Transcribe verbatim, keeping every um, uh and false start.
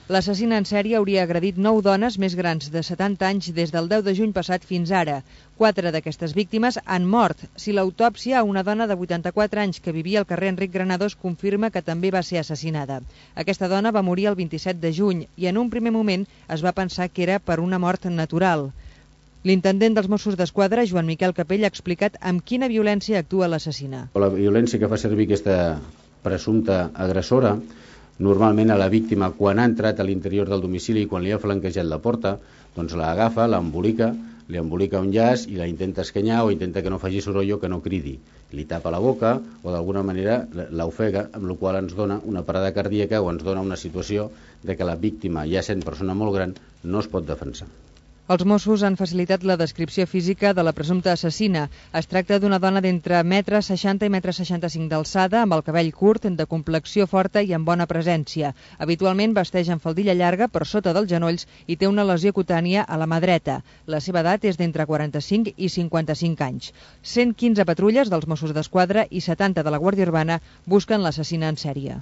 L'assassina en sèrie hauria agredit nou dones més grans de setanta anys des del deu de juny passat fins ara. Quatre d'aquestes víctimes han mort. Si l'autòpsia a una dona de vuitanta-quatre anys que vivia al carrer Enric Granados confirma que també va ser assassinada. Aquesta dona va morir el vint-i-set de juny i en un primer moment es va pensar que era per una mort natural. L'intendent dels Mossos d'Esquadra, Joan Miquel Capell, ha explicat amb quina violència actua l'assassina. La violència que fa servir aquesta presumpta agressora, normalment a la víctima, quan ha entrat a l'interior del domicili i quan li ha flanquejat la porta, doncs l'agafa, l'embolica, li embolica un llaç i la intenta escanyar o intenta que no faci soroll o que no cridi. Li tapa la boca o d'alguna manera l'ofega, amb la qual ens dona una parada cardíaca o ens dona una situació de que la víctima, ja sent persona molt gran, no es pot defensar. Els Mossos han facilitat la descripció física de la presumpta assassina. Es tracta d'una dona d'entre metre seixanta i metre seixanta-cinc d'alçada, amb el cabell curt, de complexió forta i amb bona presència. Habitualment vesteix amb faldilla llarga per sota dels genolls i té una lesió cutània a la mà dreta. La seva edat és d'entre quaranta-cinc i cinquanta-cinc anys. cent quinze patrulles dels Mossos d'Esquadra i setanta de la Guàrdia Urbana busquen l'assassina en sèrie.